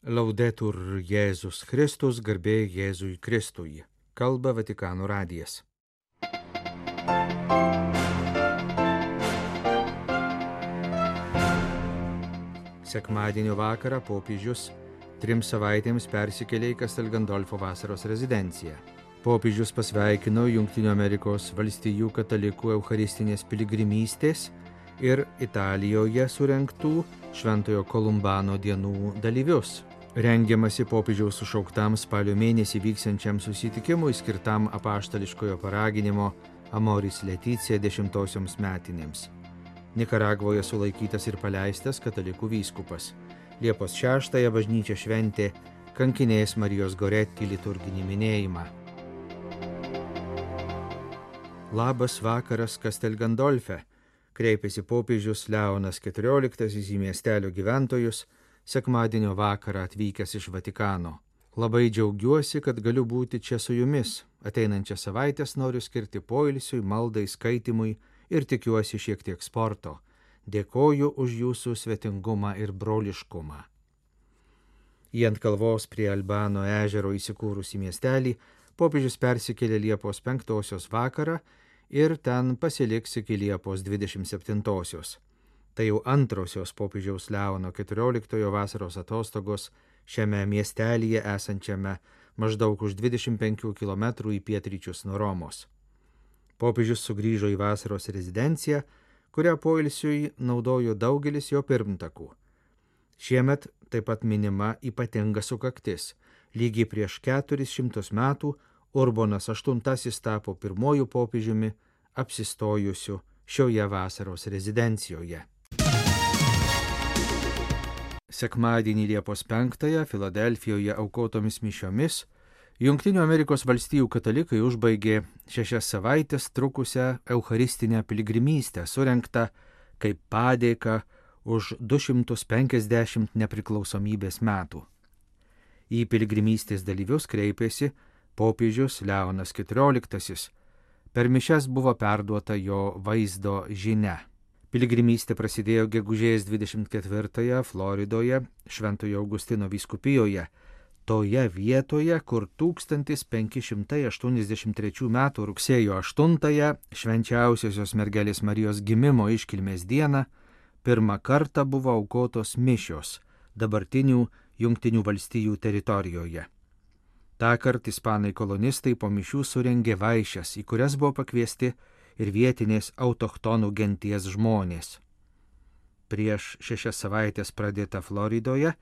Laudetur Jėzus Kristus, garbė Jėzui Kristui. Kalba Vatikano radijas. Sekmadienio vakarą popiežius 3 savaitėms persikėlė į Castel Gandolfo vasaros rezidenciją. Popiežius pasveikino Jungtinių Amerikos valstijų katalikų eucharistinės piligrimystės ir Italijoje surengtų Šventojo Kolumbano dienų dalyvius. Rengiamasi popiežiaus sušauktam spalio mėnesį vyksiančiam susitikimui skirtam apaštališkojo paraginimo Amoris Laetitia 10-osioms metinėms. Nikaragvoje sulaikytas ir paleistas katalikų vyskupas. Liepos 6-ąją bažnyčia šventė kankinės Marijos Goretti liturginį minėjimą. Labas vakaras Castel Gandolfe, kreipėsi popiežius Leonas XIV į miestelio gyventojus, sekmadienio vakarą atvykęs iš Vatikano. Labai džiaugiuosi, kad galiu būti čia su jumis. Ateinančią savaitės noriu skirti poilsiui, maldai, skaitimui ir tikiuosi šiek tiek sporto. Dėkoju už jūsų svetingumą ir broliškumą. Į ant kalvos prie Albano ežero įsikūrusį miestelį popiežius persikėlė Liepos 5-osios vakarą ir ten pasiliks iki Liepos 27-osios. Tai jau antrosios popiežiaus Leono XIV vasaros atostogos šiame miestelyje esančiame maždaug už 25 km į pietryčius nuo Romos. Popiežius sugrįžo į vasaros rezidenciją, kurią poilsiui naudojo daugelis jo pirmtakų. Šiemet taip pat minima ypatinga sukaktis. Lygiai prieš 400 metų Urbonas VIII tapo pirmojų popiežiumi apsistojusiu šioje vasaros rezidencijoje. Sekmadienį Liepos 5-ąją Filadelfijoje aukotomis mišiomis Jungtinių Amerikos valstijų katalikai užbaigė 6 savaitės trukusią eucharistinę piligrimystę, surengtą kaip padėka už 250 nepriklausomybės metų. Į piligrimystės dalyvius kreipėsi popiežius Leonas XIV. Per mišias buvo perduota jo vaizdo žinia. Piligrimystė prasidėjo gegužės 24-ąją Floridoje, Šventojo Augustino vyskupijoje, toje vietoje, kur 1583 m. rugsėjo 8-ąją švenčiausiosios mergelės Marijos gimimo iškilmės dieną pirmą kartą buvo aukotos mišios dabartinių Jungtinių valstijų teritorijoje. Tąkart ispanai kolonistai po mišių surengė vaišes, į kurias buvo pakviesti ir vietinės autochtonų genties žmonės. Prieš 6 savaitės pradėta Floridoje,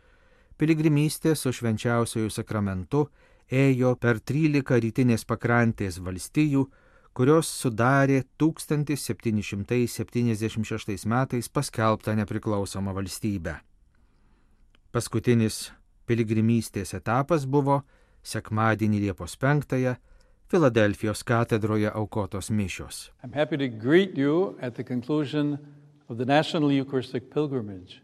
piligrimystė su švenčiausiuoju sakramentu ėjo per 13 rytinės pakrantės valstijų, kurios sudarė 1776 metais paskelbtą nepriklausomą valstybę. Paskutinis piligrimystės etapas buvo sekmadienį Liepos 5-ąją Filadelfijos katedroje aukotos mišios. I'm happy to greet you at the conclusion of the National Eucharistic Pilgrimage.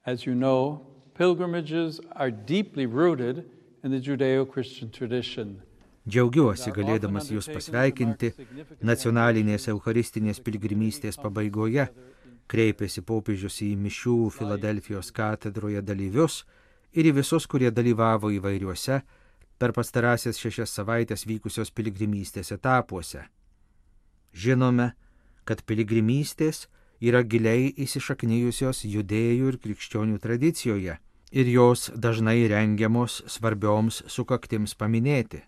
As you know, pilgrimages are deeply rooted in the Judeo-Christian tradition. Džiaugiuosi galėdamas jūs pasveikinti nacionalinės eucharistinės piligrimystės pabaigoje, kreipėsi popiežius į mišių Filadelfijos katedroje dalyvius ir į visus, kurie dalyvavo įvairiuose per pastarąsias 6 savaitės vykusios piligrimystės etapuose. Žinome, kad piligrimystės yra giliai įsišaknijusios judėjų ir krikščionių tradicijoje ir jos dažnai rengiamos svarbioms sukaktims paminėti.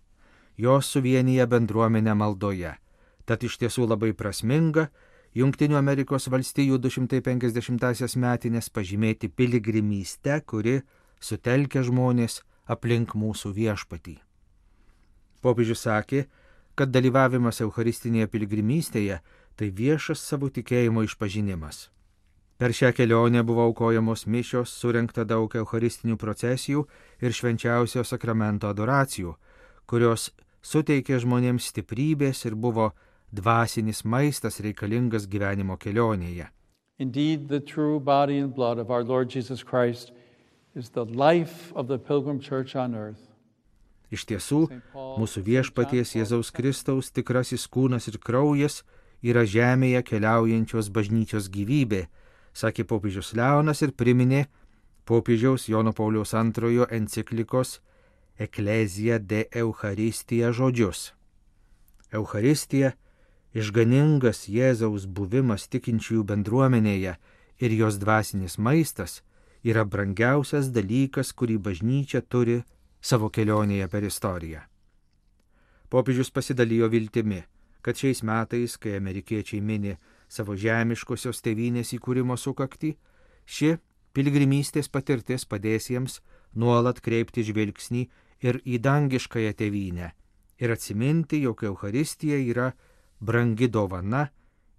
Jos suvienyje bendruomenę maldoje, tad iš tiesų labai prasminga Jungtinių Amerikos valstijų 250-asias metinės pažymėti piligrimystę, kuri sutelkia žmonės aplink mūsų viešpatį. Popiežius sakė, kad dalyvavimas eucharistinėje piligrimystėje tai viešas savo tikėjimo išpažinimas. Per šią kelionę buvo aukojamos mišios, surengta daug eucharistinių procesijų ir švenčiausio sakramento adoracijų, kurios suteikė žmonėms stiprybės ir buvo dvasinis maistas reikalingas gyvenimo kelionėje. Indeed, the true body and blood of our Lord Jesus Christ is the life of the pilgrim church on earth. Iš tiesų, mūsų viešpaties Jėzaus Kristaus tikrasis kūnas ir kraujas yra žemėje keliaujančios bažnyčios gyvybė, sakė popiežius Leonas ir priminė popiežiaus Jono Pauliaus II enciklikos Ecclesia de Eucharistija žodžius. Eucharistija – išganingas Jėzaus buvimas tikinčiųjų bendruomenėje ir jos dvasinis maistas yra brangiausias dalykas, kurį bažnyčia turi savo kelionėje per istoriją. Popiežius pasidalijo viltimi, kad šiais metais, kai amerikiečiai mini savo žemiškosios tėvynės įkūrimo sukaktį, ši piligrimystės patirtis padės jiems nuolat kreipti žvilgsnį ir į dangiškąją tėvynę ir atsiminti, jog Eucharistija yra brangi dovana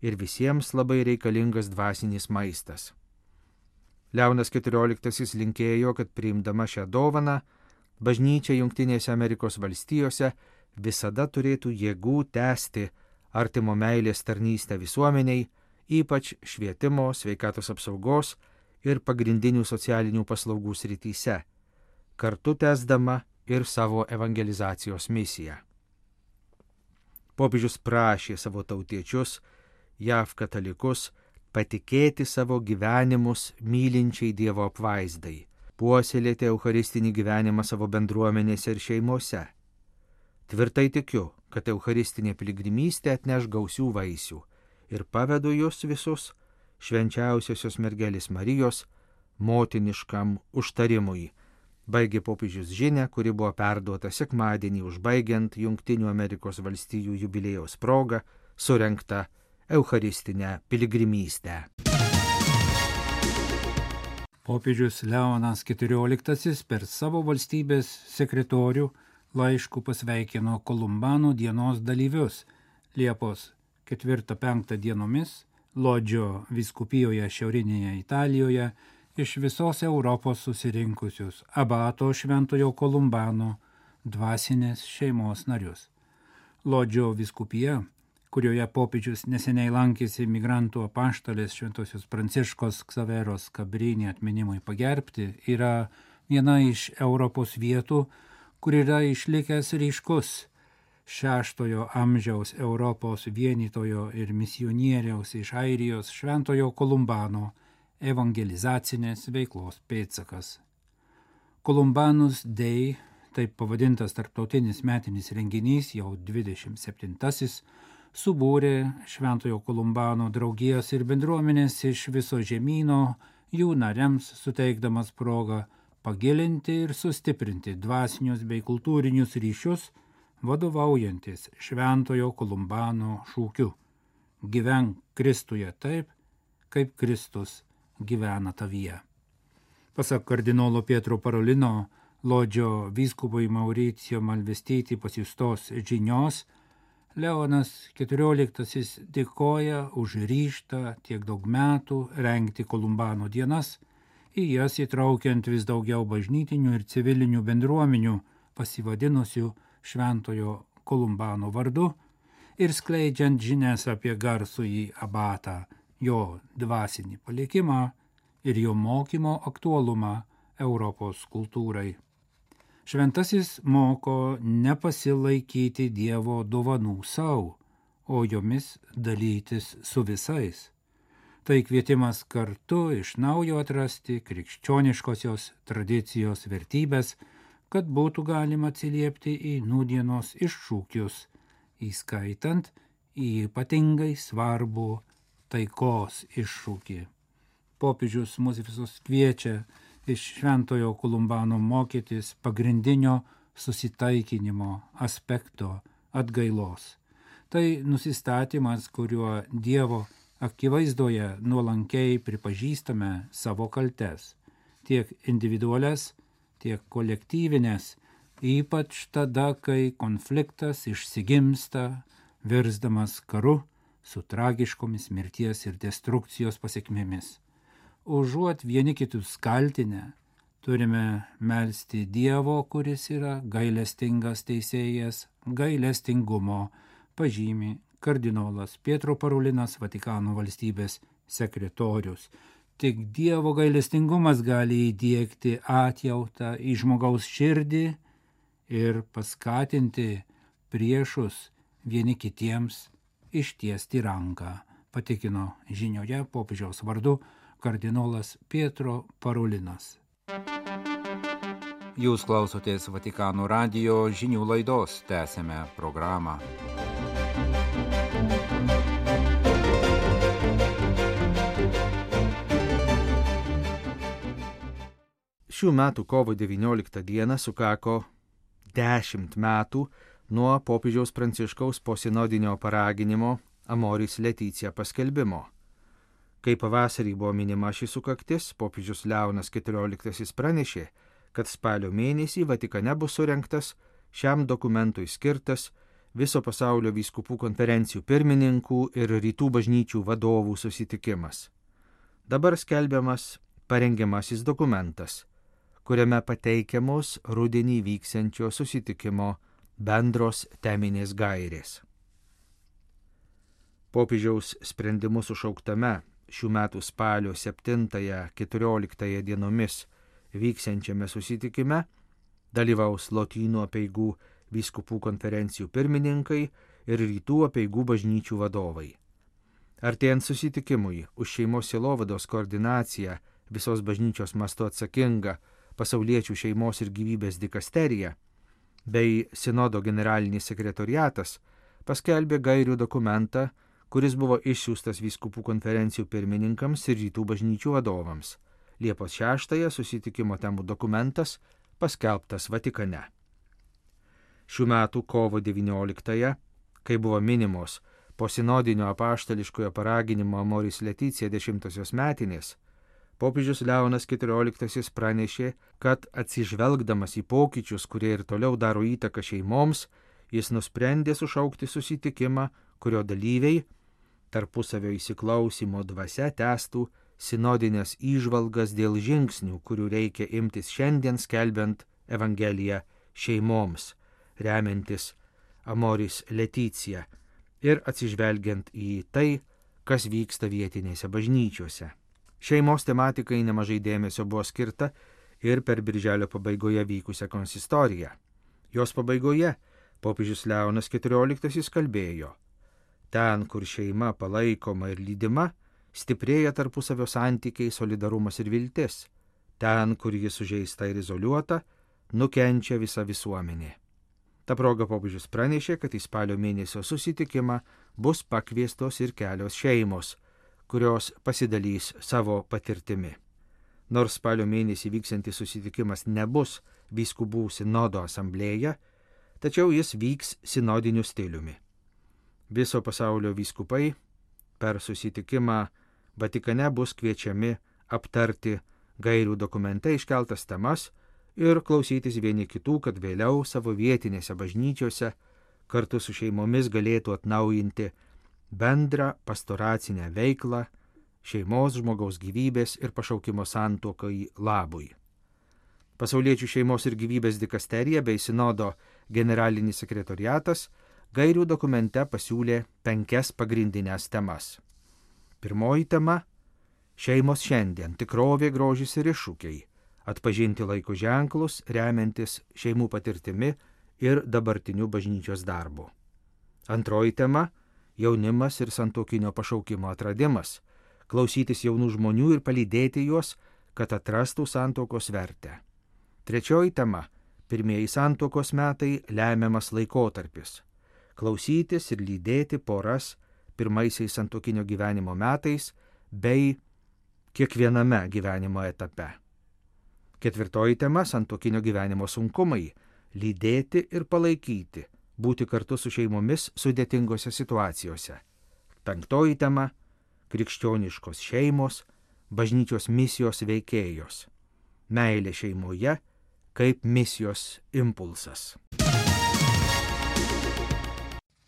ir visiems labai reikalingas dvasinis maistas. Leonas XIV linkėjo, kad priimdama šią dovaną, bažnyčia Jungtinėse Amerikos valstijose visada turėtų jėgų tęsti artimo meilės tarnystę visuomeniai, ypač švietimo, sveikatos apsaugos ir pagrindinių socialinių paslaugų srityse, kartu tęsdama ir savo evangelizacijos misiją. Popiežius prašė savo tautiečius, JAV katalikus, patikėti savo gyvenimus mylinčiai Dievo apvaizdai, puoselėti eucharistinį gyvenimą savo bendruomenėse ir šeimose. Tvirtai tikiu, kad eucharistinė piligrimystė atneš gausių vaisių ir pavedu jūs visus švenčiausiosios mergelės Marijos motiniškam užtarimui, baigė popiežius žinią, kuri buvo perduota sekmadienį užbaigiant Jungtinių Amerikos valstijų jubiliejaus progą surengtą eucharistinę piligrimystę. Popiežius Leonas XIV per savo valstybės sekretorių laišku pasveikino Kolumbano dienos dalyvius Liepos 4-5 dienomis Lodžio vyskupijoje šiaurinėje Italijoje iš visos Europos susirinkusius abato Šventojo Kolumbano dvasinės šeimos narius. Lodžio vyskupija, kurioje popiežius neseniai lankėsi migrantų apaštalės Šventosios Pranciškos Ksaveros Kabrini atminimui pagerbti, yra viena iš Europos vietų, kur yra išlikęs ryškus 6 amžiaus Europos vienytojo ir misionieriaus iš Airijos Šventojo Kolumbano evangelizacinės veiklos pėdsakas. Kolumbanus Day, taip pavadintas tarptautinis metinis renginys, jau 27-asis, subūrė Šventojo Kolumbano draugijas ir bendruomenės iš viso žemyno, jų nariams suteikdamas progą pagilinti ir sustiprinti dvasinius bei kultūrinius ryšius, vadovaujantis Šventojo Kolumbano šūkiu: gyvenk Kristuje taip, kaip Kristus gyvena tavyje. Pasak kardinolo Pietro Parolino, Lodžio vyskupui Mauricijo Malvestyti pasiųstos žinios, Leonas XIV dėkoja už ryžtą tiek daug metų rengti Kolumbano dienas, į jas įtraukiant vis daugiau bažnytinių ir civilinių bendruomenių pasivadinusių Šventojo Kolumbano vardu ir skleidžiant žinias apie garsųjį abatą, jo dvasinį palikimą ir jo mokymo aktualumą Europos kultūrai. Šventasis moko nepasilaikyti Dievo dovanų sau, o jomis dalytis su visais. Tai kvietimas kartu iš naujo atrasti krikščioniškosios tradicijos vertybės, kad būtų galima atsiliepti į nūdienos iššūkius, įskaitant į ypatingai svarbų taikos iššūkį. Popiežius mus visus kviečia iš Šventojo Kolumbano mokytis pagrindinio susitaikinimo aspekto atgailos. Tai nusistatymas, kuriuo Dievo akivaizdoje nuolankiai pripažįstame savo kaltes, tiek individualias, tiek kolektyvinės, ypač tada, kai konfliktas išsigimsta, virsdamas karu su tragiškomis mirties ir destrukcijos pasekmėmis. Užuot vieni kitus kaltinę, turime melsti Dievo, kuris yra gailestingas teisėjas, gailestingumo, pažymi kardinolas Pietro Parolinas, Vatikano valstybės sekretorius. Tik Dievo gailestingumas gali įdiegti atjautą į žmogaus širdį ir paskatinti priešus vieni kitiems ištiesti ranką, patikino žinioje popiežiaus vardu kardinolas Pietro Parolinas. Jūs klausotės Vatikano radijo žinių laidos, tęsėme programą. Šių metų kovo 19 dieną sukako 10 metų nuo popiežiaus Pranciškaus posinodinio paraginimo Amoris Laetitia paskelbimo. Kai pavasarį buvo minima ši sukaktis, popiežius Leonas XIV pranešė, kad spalio mėnesį Vatikane bus surengtas šiam dokumentui skirtas viso pasaulio vyskupų konferencijų pirmininkų ir rytų bažnyčių vadovų susitikimas. Dabar skelbiamas parengiamasis dokumentas, kuriame pateikiamos rudenį vyksiančio susitikimo bendros teminės gairės. Popiežiaus sprendimu sušauktame šių metų spalio 7-14 dienomis vyksiančiame susitikime dalyvaus Lotynų apeigų vyskupų konferencijų pirmininkai ir rytų apeigų bažnyčių vadovai. Artėjant susitikimui už šeimos sielovados koordinaciją visos bažnyčios mastu atsakinga Pasauliečių šeimos ir gyvybės dikasterija bei Sinodo generalinis sekretoriatas paskelbė gairių dokumentą, kuris buvo išsiųstas vyskupų konferencijų pirmininkams ir rytų bažnyčių vadovams. Liepos 6 susitikimo temų dokumentas paskelbtas Vatikane. Šių metų kovo 19, kai buvo minimos po sinodinio apaštališkojo paraginimo Amoris Laetitia 10-osios metinės, popiežius Leonas XIV pranešė, kad atsižvelgdamas į pokyčius, kurie ir toliau daro įtaką šeimoms, jis nusprendė sušaukti susitikimą, kurio dalyviai tarpusavio įsiklausimo dvasia tęstų sinodinės įžvalgas dėl žingsnių, kurių reikia imtis šiandien skelbiant Evangeliją šeimoms, remiantis Amoris Laetitia ir atsižvelgiant į tai, kas vyksta vietinėse bažnyčiose. Šeimos tematikai nemažai dėmesio buvo skirta ir per birželio pabaigoje vykusią konsistoriją. Jos pabaigoje popiežius Leonas XIV kalbėjo: ten, kur šeima palaikoma ir lydima, stiprėja tarpusavio santykiai, solidarumas ir viltis. Ten, kur ji sužeista ir izoliuota, nukenčia visa visuomenė. Ta proga popiežius pranešė, kad į spalio mėnesio susitikimą bus pakviestos ir kelios šeimos, kurios pasidalys savo patirtimi. Nors spalio mėnesį vyksiantis susitikimas nebus vyskupų sinodo asamblėja, tačiau jis vyks sinodiniu stiliumi. Viso pasaulio vyskupai per susitikimą Vatikane bus kviečiami aptarti gairių dokumente iškeltas temas ir klausytis vieni kitų, kad vėliau savo vietinėse bažnyčiose kartu su šeimomis galėtų atnaujinti bendrą pastoracinę veiklą šeimos, žmogaus gyvybės ir pašaukimo santuokai labui. Pasauliečių šeimos ir gyvybės dikasterija bei Sinodo generalinis sekretoriatas gairių dokumente pasiūlė 5 pagrindinės temas. Pirmoji tema – šeimos šiandien, tikrovė, grožis ir iššūkiai, atpažinti laiko ženklus, remiantis šeimų patirtimi ir dabartiniu bažnyčios darbu. Antroji tema – jaunimas ir santuokinio pašaukimo atradimas, klausytis jaunų žmonių ir palydėti juos, kad atrastų santuokos vertę. Trečioji tema – pirmieji santuokos metai, lemiamas laikotarpis, klausytis ir lydėti poras pirmaisiais santuokinio gyvenimo metais bei kiekviename gyvenimo etape. Ketvirtoji tema – santuokinio gyvenimo sunkumai, lydėti ir palaikyti, būti kartu su šeimomis sudėtingose situacijose. Penktoji tema – krikščioniškos šeimos, bažnyčios misijos veikėjos, meilė šeimoje kaip misijos impulsas.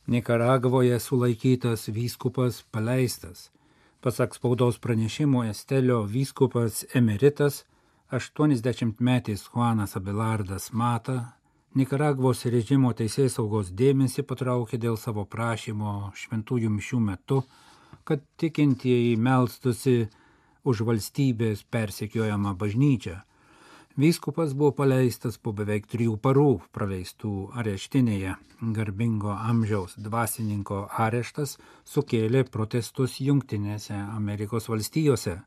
Nikaragvoje sulaikytas vyskupas paleistas. Pasak spaudos pranešimo, Estelio vyskupas emeritas 80-metis Juanas Abelardas Mata Nikaragvos režimo teisėsaugos dėmesį patraukė dėl savo prašymo šventųjų mišių metu, kad tikintieji melstųsi už valstybės persekiojamą bažnyčią. Vyskupas buvo paleistas po beveik 3 parų praleistų areštinėje. Garbingo amžiaus dvasininko areštas sukėlė protestus Jungtinėse Amerikos valstijose.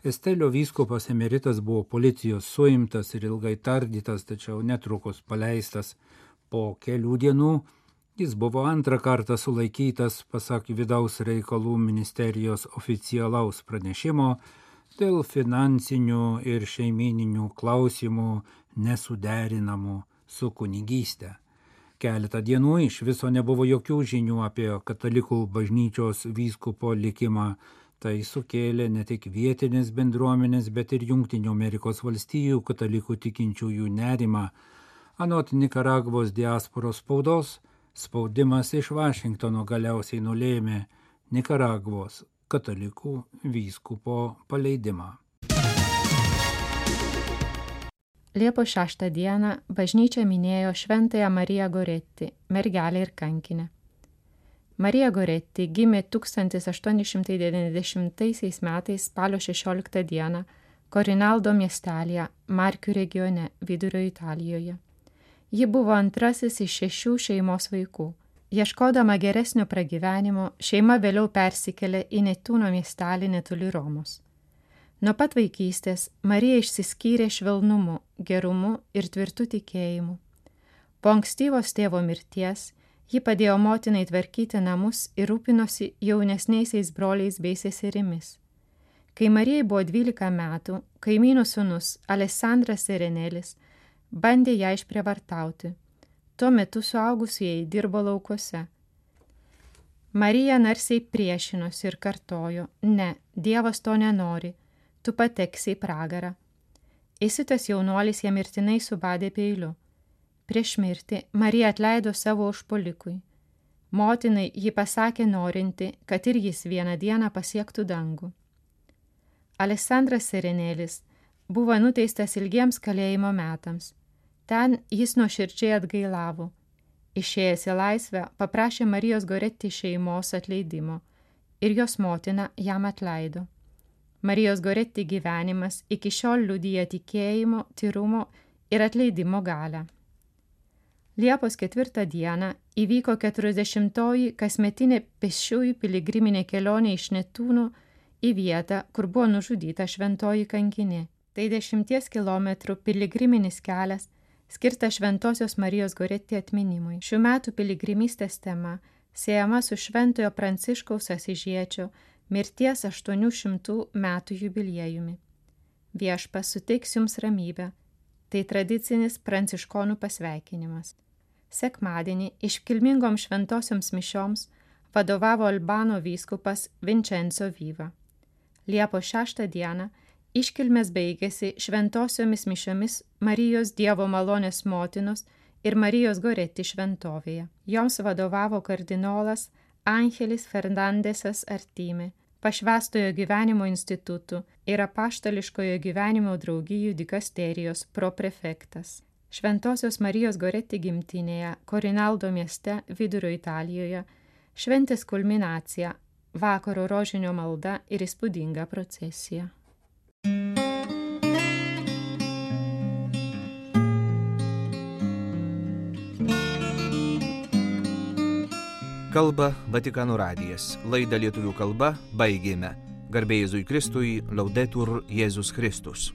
Estelio vyskupas emeritas buvo policijos suimtas ir ilgai tardytas, tačiau netrukus paleistas. Po kelių dienų jis buvo antrą kartą sulaikytas, pasak vidaus reikalų ministerijos oficialaus pranešimo, dėl finansinių ir šeimininių klausimų nesuderinamų su kunigyste. Keletą dienų iš viso nebuvo jokių žinių apie katalikų bažnyčios vyskupo likimą. Tai sukėlė ne tik vietinės bendruomenės, bet ir Jungtinių Amerikos valstijų katalikų tikinčiųjų nerimą. Anot Nikaragvos diasporos spaudos, spaudimas iš Vašingtono galiausiai nulėmė Nikaragvos katalikų vyskupo paleidimą. Liepos 6 dieną bažnyčia minėjo Šventąją Mariją Goretti, mergelę ir kankinę. Marija Goretti gimė 1890 metais spalio 16 dieną Korinaldo miestelėje, Markių regione, vidurio Italijoje. Ji buvo antrasis iš 6 šeimos vaikų. Ieškodama geresnio pragyvenimo, šeima vėliau persikėlė į Netūno miestelį netoli Romos. Nuo pat vaikystės Marija išsiskyrė švelnumu, gerumu ir tvirtu tikėjimu. Po ankstyvos tėvo mirties ji padėjo motinai tvarkyti namus ir rūpinosi jaunesniaisiais broliais bei seserimis. Kai Marijai buvo 12 metų, kaimynų sūnus Alessandras Serenelis bandė ją išprievartauti. Tuo metu suaugusieji dirbo laukuose. Marija narsiai priešinosi ir kartojo: ne, Dievas to nenori, tu pateksi į pragarą. Įsiutęs jaunuolis ją mirtinai subadė peiliu. Prieš mirtį Marija atleido savo užpuolikui. Motinai ji pasakė norinti, kad ir jis vieną dieną pasiektų dangų. Alessandras Serenelis buvo nuteistas ilgiems kalėjimo metams. Ten jis nuoširdžiai atgailavo. Išėjęs į laisvę paprašė Marijos Goretti šeimos atleidimo ir jos motina jam atleido. Marijos Goretti gyvenimas iki šiol liudija tikėjimo, tyrumo ir atleidimo galią. Liepos 4 dieną įvyko 40-oji kasmetinė pėsčiųjų piligriminė kelionė iš Netūno į vietą, kur buvo nužudyta šventoji kankinė. Tai 10 kilometrų piligriminis kelias, skirtas Šventosios Marijos Goretti atminimui. Šių metų piligrimystės tema siejama su Šventojo Pranciškaus Asyžiečio mirties 800 metų jubiliejumi. Viešpats suteiks jums ramybę. Tai tradicinis pranciškonų pasveikinimas. Sekmadienį iškilmingom šventosioms mišioms vadovavo Albano vyskupas Vincenzo Viva. Liepos 6 dieną iškilmės baigėsi šventosiomis mišiomis Marijos Dievo malonės motinos ir Marijos Goretti šventovėje. Joms vadovavo kardinolas Angelis Fernandesas Artime, Pašvęstojo gyvenimo institutų ir Apaštališkojo gyvenimo draugijų dikasterijos proprefektas. Šventosios Marijos Goretti gimtinėje, Korinaldo mieste, vidurio Italijoje, šventės kulminacija, vakaro rožinio malda ir įspūdinga procesija. Kalba Vatikano radijas. Laidą lietuvių kalba baigėme. Garbė Jėzui Kristui, Laudetur Jėzus Kristus.